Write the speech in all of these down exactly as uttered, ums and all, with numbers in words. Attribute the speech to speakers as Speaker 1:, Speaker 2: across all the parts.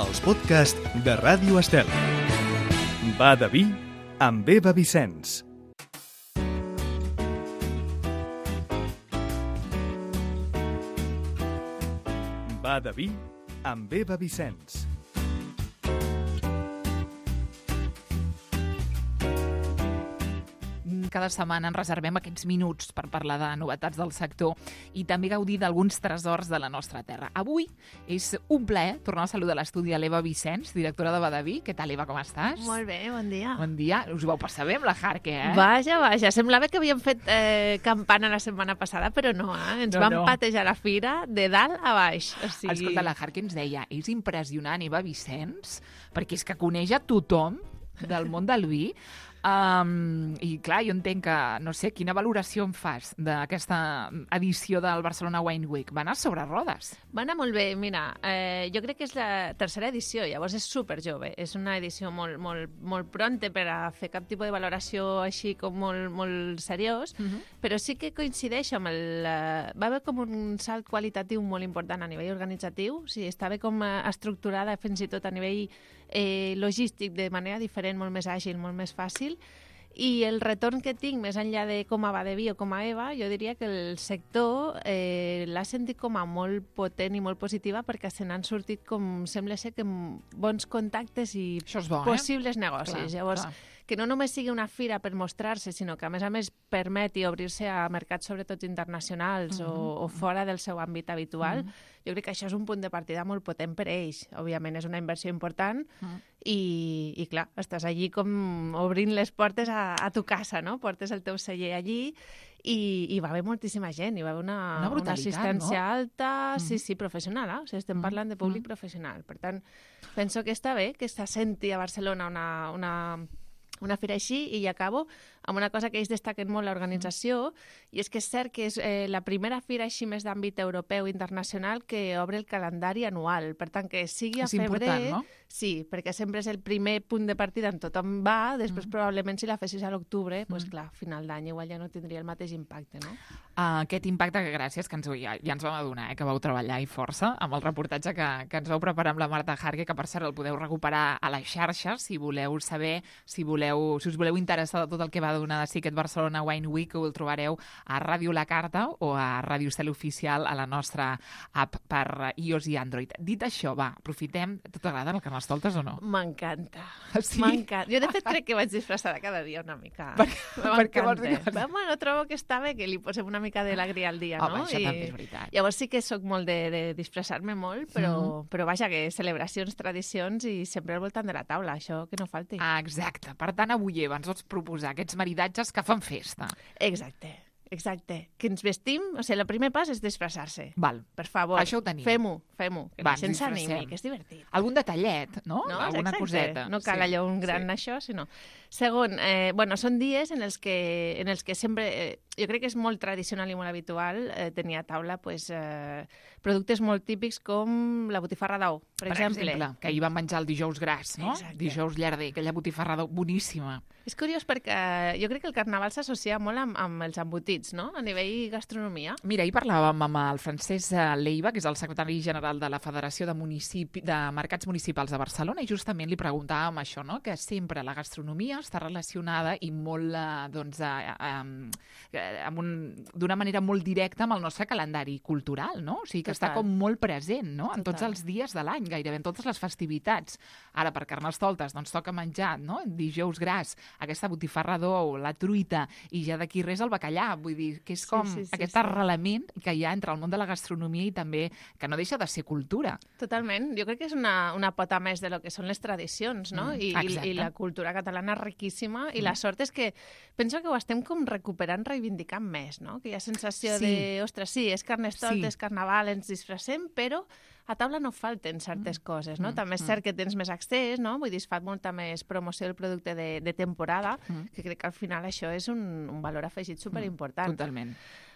Speaker 1: els podcasts de Ràdio Estel. Va de vi amb Eva Vicenç. Va de vi amb Eva Vicenç.
Speaker 2: Cada setmana ens reservem aquests minuts per parlar de novetats del sector i també gaudir d'alguns tresors de la nostra terra. Avui és un plaer tornar a saludar a l'estudi a l'Eva Vicenç, directora de Va de Vi. Què tal, Eva, com estàs?
Speaker 3: Molt bé, bon dia.
Speaker 2: Bon dia. Us ho vau passar bé amb la Jarque, eh?
Speaker 3: Vaja, vaja. Semblava que havíem fet eh, campana la setmana passada, però no, eh? Ens
Speaker 2: No,
Speaker 3: vam
Speaker 2: no.
Speaker 3: patejar la fira de dalt a baix. O sigui...
Speaker 2: Escolta, la Jarque ens deia, és impressionant, Eva Vicenç, perquè és que coneix a tothom del món del vi. Um, I clar, jo entenc que, no sé, quina valoració en fas d'aquesta edició del Barcelona Wine Week? Va anar sobre rodes.
Speaker 3: Va anar molt bé, mira, eh, jo crec que és la tercera edició, llavors és super jove, és una edició molt, molt, molt pronta per a fer cap tipus de valoració així com molt, molt seriós,
Speaker 2: Uh -huh.
Speaker 3: però sí que coincideix amb el... Eh, va haver com un salt qualitatiu molt important a nivell organitzatiu, o sigui, estava com eh, estructurada fins i tot a nivell eh, logístic de manera diferent, molt més àgil, molt més fàcil. I el retorn que tinc, més enllà de com a Va de Vi o com a Eva, jo diria que el sector eh, l'ha sentit com a molt potent i molt positiva perquè se n'han sortit, com sembla ser, que amb bons contactes i
Speaker 2: Això és bo, eh?
Speaker 3: possibles negocis.
Speaker 2: Clar,
Speaker 3: Llavors,
Speaker 2: clar.
Speaker 3: que no només sigui una fira per mostrar-se, sinó que a més a més permeti obrir-se a mercats sobretot internacionals
Speaker 2: Mhm.
Speaker 3: o, o fora del seu àmbit habitual,
Speaker 2: Mhm.
Speaker 3: jo crec que això és un punt de partida molt potent per a ells. Òbviament és una inversió important
Speaker 2: Mhm.
Speaker 3: i, i clar, estàs allí com obrint les portes a, a tu casa, no? Portes el teu celler allí i, i va haver moltíssima gent, hi va haver una,
Speaker 2: Una brutalitat,
Speaker 3: assistència
Speaker 2: no?
Speaker 3: alta, sí,
Speaker 2: Mhm.
Speaker 3: sí, professional, eh? O sigui, estem
Speaker 2: Mhm.
Speaker 3: parlant de públic
Speaker 2: Mhm.
Speaker 3: professional. Per tant, penso que està bé que se senti a Barcelona una, una, una fira així, i ja acabo amb una cosa que ells destaquen molt l'organització, i és que és cert que és eh, la primera fira així més d'àmbit europeu internacional que obre el calendari anual. Per tant, que sigui a
Speaker 2: És
Speaker 3: febrer...
Speaker 2: important, no?
Speaker 3: Sí, perquè sempre és el primer punt de partida on tothom va, després
Speaker 2: Mm.
Speaker 3: probablement si la fessis a l'octubre, doncs
Speaker 2: Mm.
Speaker 3: clar, a final d'any igual ja no tindria el mateix impacte, no?
Speaker 2: Uh, aquest impacte que gràcies, que ens, ja, ja ens vam adonar, eh, que vau treballar i força amb el reportatge que, que ens vau preparar amb la Marta Jarque, que per cert el podeu recuperar a les xarxes si voleu saber, si voleu, si us voleu interessar de tot el que va donar de si aquest Barcelona Wine Week, que ho el trobareu a Ràdio La Carta o a Ràdio Estel Oficial a la nostra app per iOS i Android. Dit això, va, aprofitem. T'agrada el Carnestoltes o no?
Speaker 3: M'encanta.
Speaker 2: Sí?
Speaker 3: M'encanta. Jo, de fet, crec que vaig disfressada cada dia una mica.
Speaker 2: Per, per què vols dir que
Speaker 3: M'encanta. Bueno, trobo que està bé que li posem una mica d'alegria al dia,
Speaker 2: Home,
Speaker 3: no?
Speaker 2: això també és veritat.
Speaker 3: Llavors sí que sóc molt de, de disfressar-me molt, però,
Speaker 2: Mhm.
Speaker 3: però vaja, que celebracions, tradicions i sempre al voltant de la taula, això que no falti.
Speaker 2: Ah, exacte. Per tant, avui, Eva, ens vols proposar aquests maridatges que fan festa.
Speaker 3: Exacte, exacte. Que ens vestim, o sigui, el primer pas és disfressar-se.
Speaker 2: Val.
Speaker 3: Per favor,
Speaker 2: Això ho tenim.
Speaker 3: fem-ho, fem-ho, que
Speaker 2: Va,
Speaker 3: la gent
Speaker 2: ens
Speaker 3: s'animi,
Speaker 2: disfressem.
Speaker 3: que és divertit.
Speaker 2: Algun detallet, no?
Speaker 3: No?
Speaker 2: Alguna
Speaker 3: Exacte.
Speaker 2: coseta.
Speaker 3: No cal
Speaker 2: Sí,
Speaker 3: allò un gran
Speaker 2: sí.
Speaker 3: això, sinó... Segon, eh, bueno, són dies en els que, en els que sempre... Eh, jo crec que és molt tradicional i molt habitual eh, tenir a taula pues, eh, productes molt típics com la botifarra d'ou, per,
Speaker 2: Per
Speaker 3: exemple.
Speaker 2: exemple, que ahir vam menjar el dijous gras, no?
Speaker 3: Exacte.
Speaker 2: Dijous llarder, aquella botifarra d'ou boníssima.
Speaker 3: És curiós perquè jo crec que el carnaval s'associa molt amb, amb els embotits, no? A nivell gastronomia.
Speaker 2: Mira, ahir parlàvem amb el Francesc Leiva, que és el secretari general de la Federació de, Municipi, de Mercats Municipals de Barcelona, i justament li preguntàvem això, no? Que sempre la gastronomia està relacionada i molt, eh, doncs, eh, eh, amb un, d'una manera molt directa amb el nostre calendari cultural, no? O sigui, que
Speaker 3: Total.
Speaker 2: està com molt present, no? En tots
Speaker 3: Total.
Speaker 2: els dies de l'any, gairebé en totes les festivitats. Ara, per Carnestoltes, doncs toca menjar, no? Dijous gras, aquesta botifarra d'ou, la truita, i ja d'aquí res el bacallà. Vull dir, que és
Speaker 3: Sí,
Speaker 2: com
Speaker 3: sí, sí,
Speaker 2: aquest
Speaker 3: sí.
Speaker 2: arrelament que hi ha entre el món de la gastronomia i també, que no deixa de ser cultura.
Speaker 3: Totalment. Jo crec que és una, una pota més de lo que són les tradicions, no?
Speaker 2: Mm,
Speaker 3: I, i,
Speaker 2: exacte.
Speaker 3: I la cultura catalana és riquíssima, i
Speaker 2: Mm.
Speaker 3: la sort és que penso que ho estem com recuperant, reivindicant més, no? Que hi ha sensació
Speaker 2: Sí.
Speaker 3: de, ostres, sí, és Carnestoltes,
Speaker 2: Sí.
Speaker 3: carnaval, ens disfressem, però a taula no falten certes coses, no?
Speaker 2: mm,
Speaker 3: També és
Speaker 2: mm.
Speaker 3: cert que tens més accés, no? Vull dir, es fa molta més promoció del producte de, de temporada,
Speaker 2: Mm.
Speaker 3: que crec que al final això és un, un valor afegit superimportant.
Speaker 2: Totalment.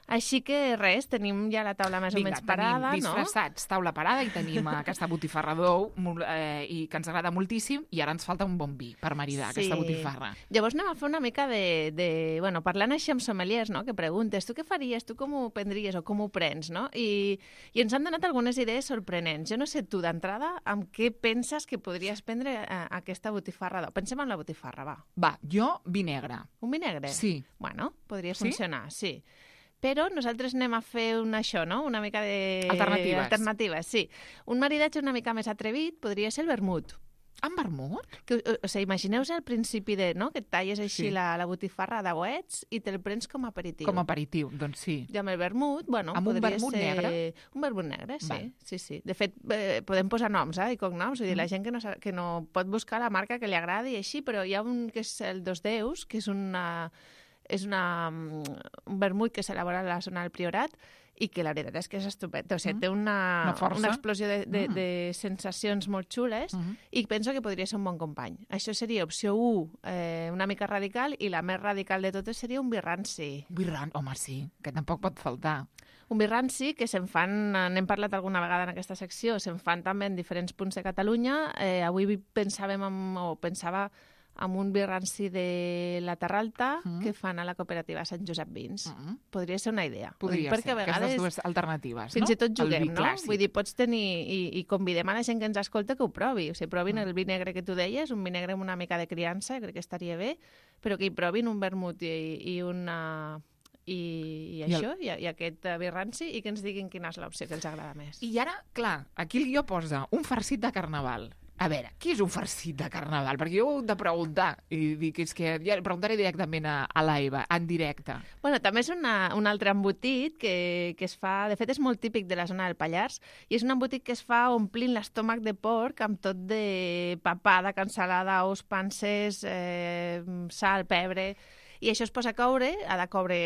Speaker 3: Així que res, tenim ja la taula més
Speaker 2: Vinga,
Speaker 3: o menys parada,
Speaker 2: tenim disfressats, no? Taula parada, i tenim aquesta botifarra d'ou, eh, i que ens agrada moltíssim, i ara ens falta un bon vi per maridar sí. aquesta botifarra.
Speaker 3: Llavors anem a fer una mica de... de bueno, parlant així amb sommeliers, no?, que preguntes, tu què faries, tu com ho prendries o com ho prens, no? I, i ens han donat algunes idees sorprenents. Jo no sé tu, d'entrada, amb què penses que podries prendre eh, aquesta botifarra d'ou? Pensem en la botifarra, va.
Speaker 2: Va, jo vi negre.
Speaker 3: Un vi negre?
Speaker 2: Sí.
Speaker 3: Bueno, podria
Speaker 2: sí?
Speaker 3: funcionar, sí. Però nosaltres anem a fer un això, no? Una mica de...
Speaker 2: Alternatives.
Speaker 3: Alternatives, sí. Un maridatge una mica més atrevit podria ser el vermut.
Speaker 2: Amb vermut?
Speaker 3: Que, o sigui, imagineu-vos al principi de, no?, que et talles així
Speaker 2: sí.
Speaker 3: la, la botifarra de dauets i te'l prens com a aperitiu.
Speaker 2: Com a aperitiu, doncs sí.
Speaker 3: I amb el vermut, bueno,
Speaker 2: amb
Speaker 3: podria
Speaker 2: un vermut
Speaker 3: ser...
Speaker 2: negre?
Speaker 3: Un vermut negre, sí.
Speaker 2: Val.
Speaker 3: sí, sí. De fet, eh, podem posar noms, eh, i cognoms. Vull dir,
Speaker 2: mm.
Speaker 3: la gent que no, que no pot buscar la marca que li agradi i així, però hi ha un que és el Dos Déus, que és una... és una, un vermut que s'elabora a la zona del Priorat i que la veritat és que és estupend. O sigui, mm. té una,
Speaker 2: una,
Speaker 3: una explosió de, de,
Speaker 2: mm.
Speaker 3: de sensacions molt xules mm. i penso que podria ser un bon company. Això seria opció u, eh, una mica radical, i la més radical de totes seria un vi ranci.
Speaker 2: Vi ranci, home, sí, que tampoc pot faltar.
Speaker 3: Un vi ranci que se'n fan, n'hem parlat alguna vegada en aquesta secció, se'n fan també en diferents punts de Catalunya. Eh, avui pensàvem amb, o pensava amb un vi ranci de la Terra Alta mm. que fan a la cooperativa Sant Josep Vins. Mm. Podria ser una idea.
Speaker 2: Podria
Speaker 3: perquè
Speaker 2: ser,
Speaker 3: a vegades,
Speaker 2: aquestes dues alternatives,
Speaker 3: fins
Speaker 2: no?
Speaker 3: i tot juguem, no?
Speaker 2: Clàssic.
Speaker 3: Vull dir, pots tenir... I, i convidem a la gent que ens escolta que ho provi. O sigui, provin mm. el vi negre que tu deies, un vi negre amb una mica de criança, crec que estaria bé, però que hi provin un vermut i, i una... I, i això, I, el... i, i aquest vi ranci, i que ens diguin quina és l'opció que els agrada més.
Speaker 2: I ara, clar, aquí el guió posa un farcit de carnaval. A veure, què és un farcit de carnaval? Perquè jo ho he de preguntar, i dic, és que ja preguntaré directament a, a l'Aiva, en directe.
Speaker 3: Bueno, també és una, un altre embotit que, que es fa... De fet, és molt típic de la zona del Pallars, i és un embotit que es fa omplint l'estómac de porc amb tot de papada, cansalada, ous, panses, eh, sal, pebre... I això es posa a coure, ha de coure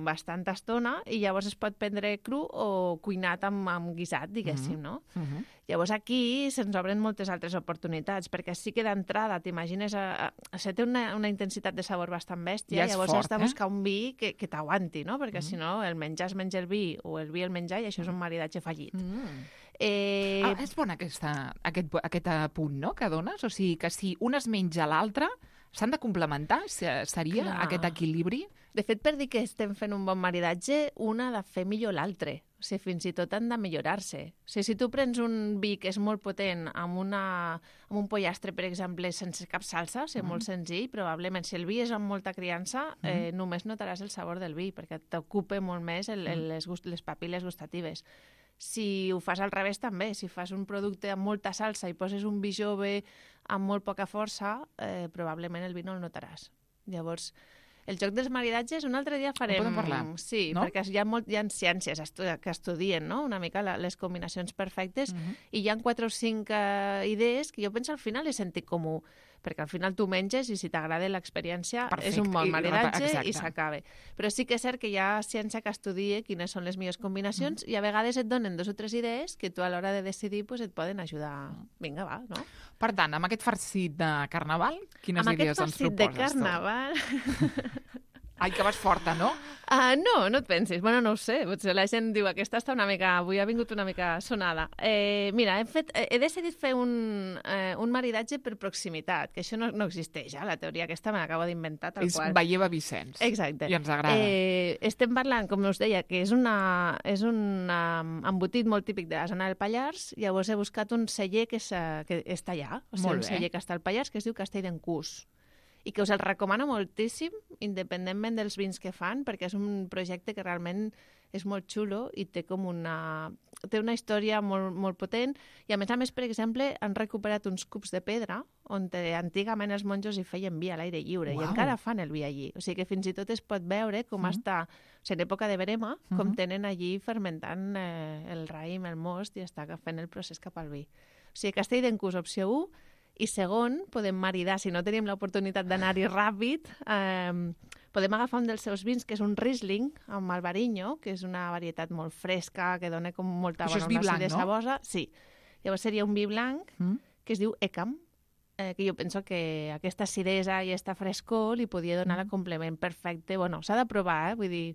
Speaker 3: bastanta estona, i llavors es pot prendre cru o cuinat amb, amb guisat, diguéssim, no? Uh-huh. Llavors aquí se'ns obren moltes altres oportunitats, perquè sí que d'entrada t'imagines... A, a, a té una, una intensitat de sabor bastant bèstia,
Speaker 2: ja
Speaker 3: llavors
Speaker 2: fort,
Speaker 3: has de buscar
Speaker 2: eh?
Speaker 3: un vi que, que t'aguanti, no? Perquè uh-huh. si no, el menjar es menja el vi, o el vi el menjar, i això és un maridatge fallit. Uh-huh. Eh...
Speaker 2: Ah, és bon aquesta, aquest, aquest punt, no?, que dones? O sigui, que si un es menja l'altre... S'han de complementar? Seria Clar. Aquest equilibri?
Speaker 3: De fet, per dir que estem fent un bon maridatge, una ha de fer millor l'altre. O sigui, fins i tot han de millorar-se. O sigui, si tu prens un vi que és molt potent amb, una, amb un pollastre, per exemple, sense cap salsa, o sigui, mm. molt senzill, probablement, si el vi és amb molta criança, mm. eh, només notaràs el sabor del vi, perquè t'ocupa molt més el, el, les, gust, les papil·les gustatives. Si ho fas al revés també, si fas un producte amb molta salsa i poses un vi jove amb molt poca força, eh, probablement el vi no el notaràs. Llavors, el joc dels maridatges, un altre dia farem...
Speaker 2: En podem parlar,
Speaker 3: sí,
Speaker 2: no?
Speaker 3: perquè hi ha, molt, hi ha ciències estu que estudien, no?, una mica la, les combinacions perfectes, uh-huh. i hi ha quatre o cinc uh, idees que jo penso al final és sentit comú, perquè al final tu menges i si t'agrada l'experiència és un bon maridatge i, i s'acaba. Però sí que és cert que hi ha ciència que estudia quines són les millors combinacions, mm. i a vegades et donen dos o tres idees que tu a l'hora de decidir pues, et poden ajudar. Vinga, va, no?
Speaker 2: Per tant, amb aquest farcit de carnaval, quines
Speaker 3: amb
Speaker 2: idees ens proposes?
Speaker 3: Amb aquest farcit de carnaval...
Speaker 2: Ai, que vas forta, no?
Speaker 3: Uh, no, no et pensis. Bueno, no ho sé. Potser la gent diu aquesta està una mica... Avui ha vingut una mica sonada. Eh, mira, hem fet, he decidit fer un, eh, un maridatge per proximitat, que això no, no existeix, eh? La teoria aquesta me l'acabo d'inventar tal
Speaker 2: és
Speaker 3: qual.
Speaker 2: És Baieva Vicenç.
Speaker 3: Exacte.
Speaker 2: I ens agrada.
Speaker 3: Eh, estem parlant, com us deia, que és, una, és un um, embotit molt típic de la zona del Pallars. Llavors he buscat un celler que, és, que està allà. O sigui, un celler que està al Pallars, que es diu Castell d'en Cús, i que us el recomano moltíssim, independentment dels vins que fan, perquè és un projecte que realment és molt xulo i té com una, té una història molt, molt potent. I a més a més, per exemple, han recuperat uns cups de pedra on antigament els monjos hi feien vi a l'aire lliure. Uau. I encara fan el vi allí. O sigui que fins i tot es pot veure com mm. està, o sigui, en època de verema, mm-hmm. com tenen allí fermentant eh, el raïm, el most, i està fent el procés cap al vi. O sigui, Castell d'en Cús, opció u. I segon, podem maridar, si no tenim l'oportunitat d'anar-hi ràpid, eh, podem agafar un dels seus vins, que és un Riesling, amb Albariño, que és una varietat molt fresca, que dona com molta bona acidesa sabosa. Sí. Llavors seria un vi blanc, mm. que es diu Ecam, eh, que jo penso que aquesta acidesa i aquesta frescor li podia donar mm. el complement perfecte. Bueno, s'ha de provar, eh? Vull dir,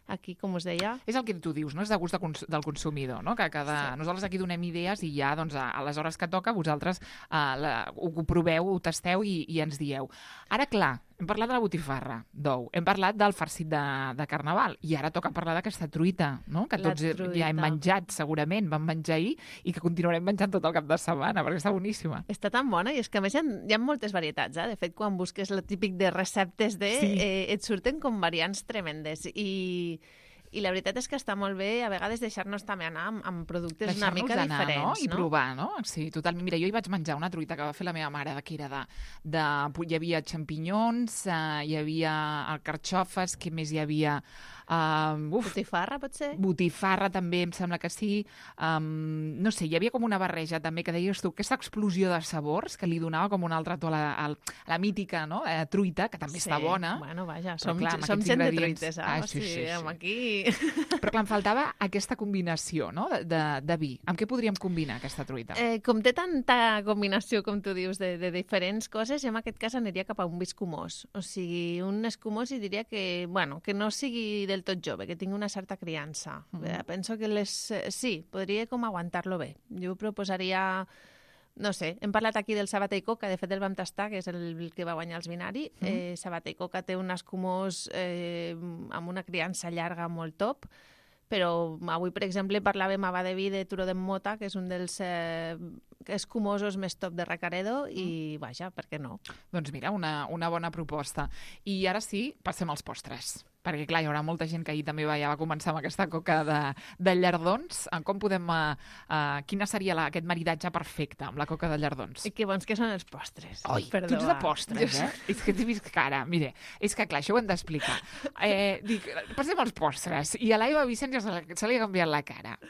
Speaker 3: aquí, com us deia.
Speaker 2: És el que tu dius, no? És de gust de cons del consumidor, no? Que cada... sí. Nosaltres aquí donem idees i ja, doncs, a, a les hores que toca, vosaltres uh, la, ho, ho proveu, ho tasteu i, i ens dieu. Ara, clar, hem parlat de la botifarra d'ou, hem parlat del farcit de, de Carnaval i ara toca parlar d'aquesta truita, no? Que tots ja hem menjat, segurament, vam menjar ahir i que continuarem menjant tot el cap de setmana, perquè està boníssima.
Speaker 3: Està tan bona i és que a més hi ha, hi ha moltes varietats, eh? De fet, quan busques el típic de receptes de... Sí. Eh, et surten com variants tremendes i... I la veritat és que està molt bé a vegades deixar-nos també anar amb, amb productes una mica
Speaker 2: anar,
Speaker 3: diferents.
Speaker 2: No? I no? provar, no? Sí, totalment. Mira, jo hi vaig menjar una truita que va fer la meva mare, que era de... de hi havia xampinyons, uh, hi havia carxofes, què més hi havia... Uh, uf,
Speaker 3: botifarra, pot ser?
Speaker 2: Botifarra també, em sembla que sí. Um, no sé, hi havia com una barreja també, que deies tu, aquesta explosió de sabors que li donava com un altre to a la, a la mítica, no? Eh, truita, que també sí. està bona.
Speaker 3: Bueno, vaja, som, clar, som gent de truites, eh?
Speaker 2: Ah, sí, sí, sí, sí.
Speaker 3: Aquí...
Speaker 2: Però clar, em faltava aquesta combinació, no?, de, de, de vi. Amb què podríem combinar aquesta truita?
Speaker 3: Eh, com té tanta combinació, com tu dius, de, de diferents coses, jo en aquest cas aniria cap a un vi escumós. O sigui, un escumós i diria que, bueno, que no sigui del tot jove, que tingui una certa criança. Mm. Eh, penso que les... Eh, sí, podria com aguantar-lo bé. Jo proposaria... No sé, hem parlat aquí del Sabata i Coca, de fet el vam tastar, que és el que va guanyar els Binari. Mm. Eh, Sabata i Coca té un escumós eh, amb una criança llarga molt top, però avui, per exemple, parlàvem a Badeví de Turó d'en Mota, que és un dels eh, escumosos més top de Recaredo, i vaja, per què no?
Speaker 2: Doncs mira, una, una bona proposta. I ara sí, passem als postres. Perquè, clar, hi haurà molta gent que ahir també va, ja va començar amb aquesta coca de, de llardons. Com podem... Uh, uh, quina seria la, aquest maridatge perfecte amb la coca de llardons?
Speaker 3: I que bons que són els postres.
Speaker 2: Oi, tu ets de postres, eh? És que t'he vist cara. Mire, és que, clar, això ho hem d'explicar. Eh, dic, passem als postres. I a l'Aiva Vicenç ja se, se li ha canviat la cara.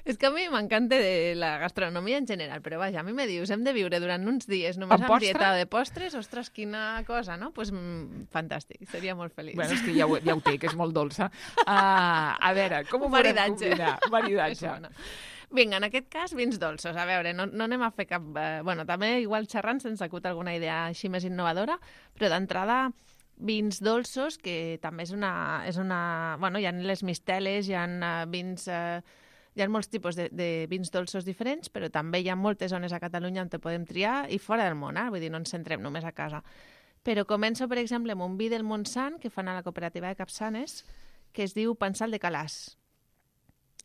Speaker 3: És que a mi m'encanta la gastronomia en general, però vaja, a mi me dius, hem de viure durant uns dies només amb, amb dieta de postres, ostres, quina cosa, no? Doncs pues, mm, fantàstic, seria molt feliç.
Speaker 2: Bueno, és que ja ho, ja ho té, que és molt dolça. Uh, a veure, com ho podem combinar? Maridatge.
Speaker 3: Vinga, en aquest cas, vins dolços. A veure, no, no anem a fer cap... Eh, bueno, també igual xerrant se'ns acut alguna idea així més innovadora, però d'entrada vins dolços, que també és una... És una bueno, hi ha les misteles, hi ha uh, vins... Uh, Hi ha molts tipus de, de vins dolços diferents, però també hi ha moltes zones a Catalunya on te podem triar i fora del món, eh? Vull dir, no ens centrem només a casa. Però començo, per exemple, amb un vi del Montsant que fan a la cooperativa de Capçanes, que es diu Pensal de Calàs.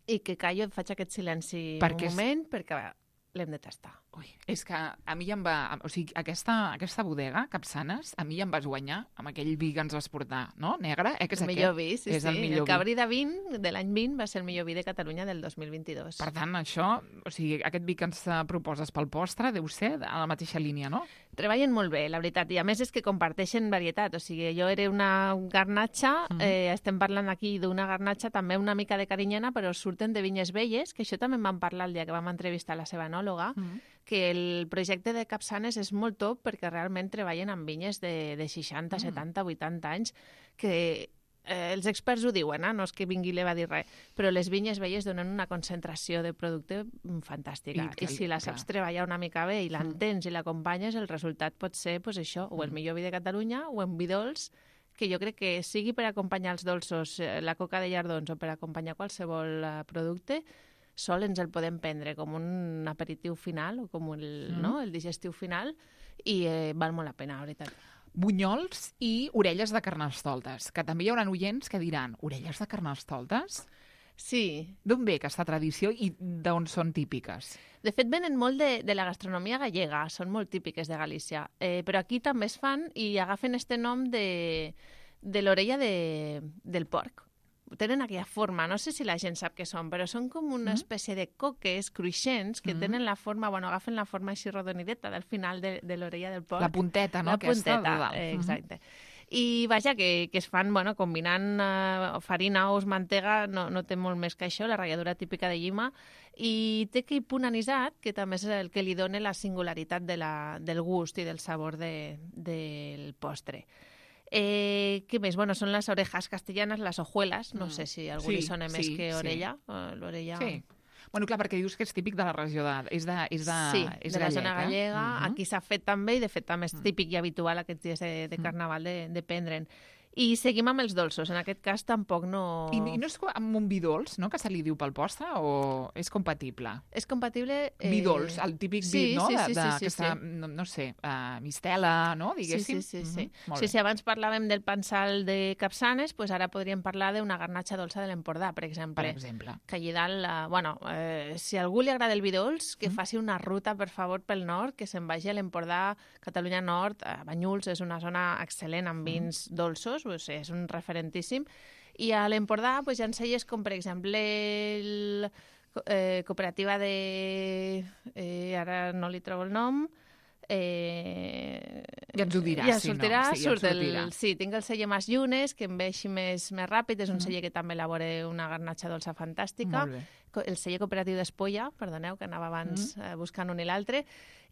Speaker 3: I que callo, faig aquest silenci per un moment, és... perquè l'hem de tastar.
Speaker 2: Ui, és que a mi ja em va... O sigui, aquesta, aquesta bodega, Capçanes, a mi ja em vas guanyar amb aquell vi que ens vas portar, no? Negre, eh? Que és
Speaker 3: el millor vi, sí,
Speaker 2: és
Speaker 3: sí.
Speaker 2: El, millor
Speaker 3: el Cabrí de vint de l'any vint va ser el millor vi de Catalunya del dos mil vint-i-dos.
Speaker 2: Per tant, això, o sigui, aquest vi que ens proposes pel postre deu ser a la mateixa línia, no?
Speaker 3: Treballen molt bé, la veritat, i a més és que comparteixen varietat, o sigui, jo era una garnatxa, mm. eh, estem parlant aquí d'una garnatxa també una mica de carinyana, però surten de vinyes velles, que això també em van parlar el dia que vam entrevistar la seva enòloga, mm. que el projecte de Capçanes és molt top perquè realment treballen amb vinyes de, de seixanta, mm. setanta, vuitanta anys, que eh, els experts ho diuen, eh? No és que vingui i li va dir res, però les vinyes velles donen una concentració de producte fantàstica. I, I si la saps clar. treballar una mica bé i l'entens mm. i l'acompanyes, el resultat pot ser pues, això, o el millor vi de Catalunya o en vi dolç, que jo crec que sigui per acompanyar els dolços, la coca de llardons o per acompanyar qualsevol uh, producte, sol ens el podem prendre com un aperitiu final o com el, mm. no? el digestiu final i eh, val molt la pena, la veritat.
Speaker 2: Bunyols i orelles de carnestoltes, que també hi haurà oients que diran, orelles de carnestoltes?
Speaker 3: Sí.
Speaker 2: D'on ve aquesta tradició i d'on són típiques?
Speaker 3: De fet, venen molt de, de la gastronomia gallega, són molt típiques de Galícia, eh, però aquí també es fan i agafen este nom de, de l'orella de, del porc. Tenen aquella forma, no sé si la gent sap què són, però són com una espècie de coques cruixents que mm. tenen la forma, bueno, agafen la forma així rodonideta del final de, de l'orella del porc.
Speaker 2: La punteta, no?
Speaker 3: La punteta, eh, exacte. Mm. I vaja, que, que es fan, bueno, combinant uh, farina, ous, mantega, no, no té molt més que això, la ratlladura típica de llima, i té aquell punt anisat, que també és el que li dona la singularitat de la, del gust i del sabor de, del postre. Eh, què més? Bueno, són les orejas castellanes, les hojuelas, no mm. sé si a algú sí, li sona sí, més que orella. Sí. Uh, l'orella...
Speaker 2: Sí. Bueno, clar, perquè dius que és típic de la regió de... És de, és de,
Speaker 3: sí,
Speaker 2: és
Speaker 3: de la
Speaker 2: gallega.
Speaker 3: zona gallega. Uh-huh. Aquí s'ha fet també, i de fet també és típic i habitual aquests dies de, de Carnaval de, de prendre'n. I seguim amb els dolços. En aquest cas tampoc no...
Speaker 2: I, i no és amb un vi dolç, no?, que se li diu pel postre, o és compatible?
Speaker 3: És compatible...
Speaker 2: Eh... Vi dolç, el típic
Speaker 3: sí,
Speaker 2: vi, no?,
Speaker 3: sí,
Speaker 2: de,
Speaker 3: sí,
Speaker 2: de,
Speaker 3: sí, sí,
Speaker 2: aquesta,
Speaker 3: sí.
Speaker 2: no, no sé, uh, mistela, no?, diguéssim.
Speaker 3: Sí, sí, sí. sí.
Speaker 2: Mm-hmm.
Speaker 3: sí, sí abans parlàvem del pensal de Capçanes, pues ara podríem parlar d'una garnatxa dolça de l'Empordà, per exemple.
Speaker 2: Per exemple.
Speaker 3: Que allí dalt, uh, bueno, eh, si a algú li agrada el vi dolç, que mm. faci una ruta, per favor, pel nord, que se'n vagi a l'Empordà, Catalunya Nord, a Banyuls, és una zona excel·lent amb vins mm. dolços, pues, és un referentíssim. I a l'Empordà pues, hi ha cellers com, per exemple, el, eh, cooperativa de... Eh, ara no li trobo el nom... Eh,
Speaker 2: ja ens ho diràs,
Speaker 3: ja
Speaker 2: si
Speaker 3: sortirà,
Speaker 2: no. Sí,
Speaker 3: surt
Speaker 2: ja
Speaker 3: el, sí, tinc el celler Mas Llunes, que em ve així més, més ràpid, és un mm. celler que també elabora una garnatxa dolça fantàstica. El celler cooperatiu d'Espolla, perdoneu, que anava abans mm. eh, buscant un i l'altre.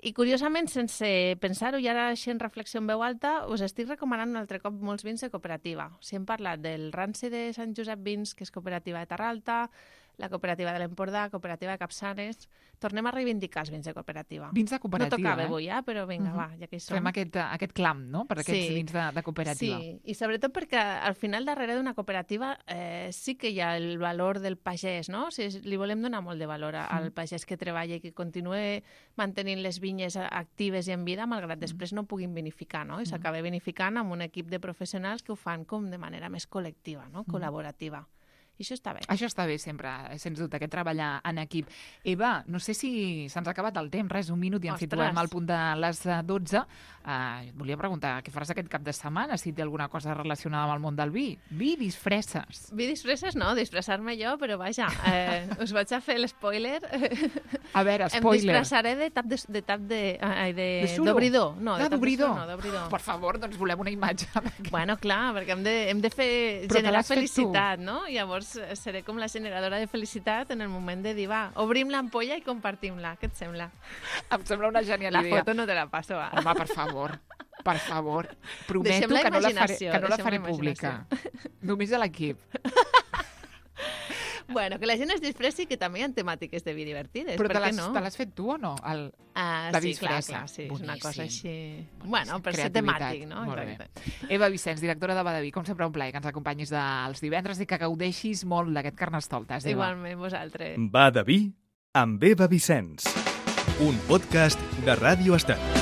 Speaker 3: I, curiosament, sense pensar-ho, i ara així en reflexió en veu alta, us estic recomanant un altre cop molts vins de cooperativa. Si hem parlat del Ranci de Sant Josep Vins, que és cooperativa de Terralta, la cooperativa de l'Empordà, cooperativa de Capçanes... Tornem a reivindicar els vins de cooperativa.
Speaker 2: Vins de cooperativa,
Speaker 3: No tocava
Speaker 2: eh?
Speaker 3: avui, eh? però vinga, uh -huh. va, ja que hi som.
Speaker 2: Fem aquest, aquest clam, no?, per aquests
Speaker 3: sí.
Speaker 2: vins de, de cooperativa.
Speaker 3: Sí, i sobretot perquè al final darrere d'una cooperativa eh, sí que hi ha el valor del pagès, no? O sigui, li volem donar molt de valor al pagès que treballa i que continua mantenint les vinyes actives i en vida, malgrat després no puguin vinificar, no? I s'acaba vinificant amb un equip de professionals que ho fan com de manera més col·lectiva, no? Col·laborativa. I això està bé.
Speaker 2: Això està bé, sempre, sens dubte, aquest treballar en equip. Eva, no sé si se'ns ha acabat el temps, res, un minut i ens situem al punt de les dotze. Uh, et volia preguntar, què faràs aquest cap de setmana, si té alguna cosa relacionada amb el món del vi? Vi, disfresses.
Speaker 3: Vi, disfresses no, disfressar-me jo, però vaja, eh, us vaig a fer l'espoiler.
Speaker 2: A veure, spoiler.
Speaker 3: Em disfressaré de tap de... de, tap de, ai, de,
Speaker 2: de
Speaker 3: d'obridor. No, de
Speaker 2: ah, d'obridor.
Speaker 3: No, d'obridor.
Speaker 2: Per favor, doncs volem una imatge.
Speaker 3: Bueno, clar, perquè hem de, hem de fer,
Speaker 2: però
Speaker 3: generar felicitat, no? Llavors seré com la generadora de felicitat en el moment de dir, va, obrim l'ampolla i compartim-la. Què et sembla?
Speaker 2: Em sembla una genial
Speaker 3: la
Speaker 2: idea.
Speaker 3: La foto no te la passo, va.
Speaker 2: Home, per favor, per favor. Prometo que no la faré, que no la faré pública. Només a l'equip.
Speaker 3: Bueno, que la gent es disfressi, que també hi ha temàtiques de vi divertides.
Speaker 2: Però
Speaker 3: per
Speaker 2: te
Speaker 3: què no?
Speaker 2: Te l'has fet tu o no? El,
Speaker 3: ah,
Speaker 2: la
Speaker 3: sí,
Speaker 2: disfressa.
Speaker 3: clar, clar, sí, és una cosa així...
Speaker 2: Boníssim.
Speaker 3: Bueno, per ser temàtic, no?
Speaker 2: Molt Exacte. Bé. Eva Vicenç, directora de Badaví, com sempre un plaer que ens acompanyis dels divendres i que gaudeixis molt d'aquest Carnestoltes. Eva.
Speaker 3: Igualment, vosaltres.
Speaker 1: Badaví amb Eva Vicenç, un podcast de Ràdio Estel.